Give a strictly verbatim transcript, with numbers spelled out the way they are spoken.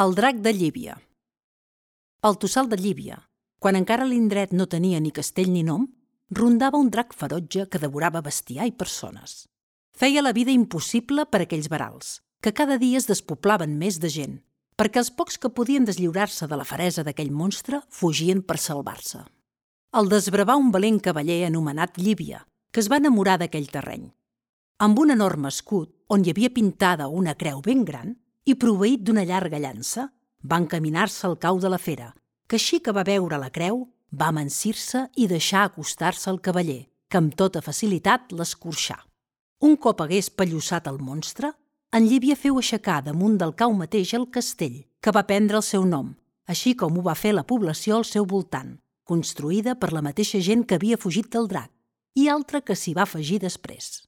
El drac de Llívia. Al Tossal de Llívia, quan encara l'indret no tenia ni castell ni nom, rondava un drac ferotge que devorava bestiar i persones. Feia la vida impossible per a aquells verals, que cada dia es despoblaven més de gent, perquè els pocs que podien deslliurar-se de la feresa d'aquell monstre fugien per salvar-se. El desbravà un valent cavaller anomenat Llívia, que es va enamorar d'aquell terreny. Amb un enorme escut, on hi havia pintada una creu ben gran, i proveït d'una llarga llança, va encaminar-se al cau de la fera, que així que va veure la creu, va amansir-se i deixar acostar-se al cavaller, que amb tota facilitat l'escorxà. Un cop hagués pellussat el monstre, en Llívia feu aixecar damunt del cau mateix el castell, que va prendre el seu nom, així com ho va fer la població al seu voltant, construïda per la mateixa gent que havia fugit del drac, i altra que s'hi va afegir després.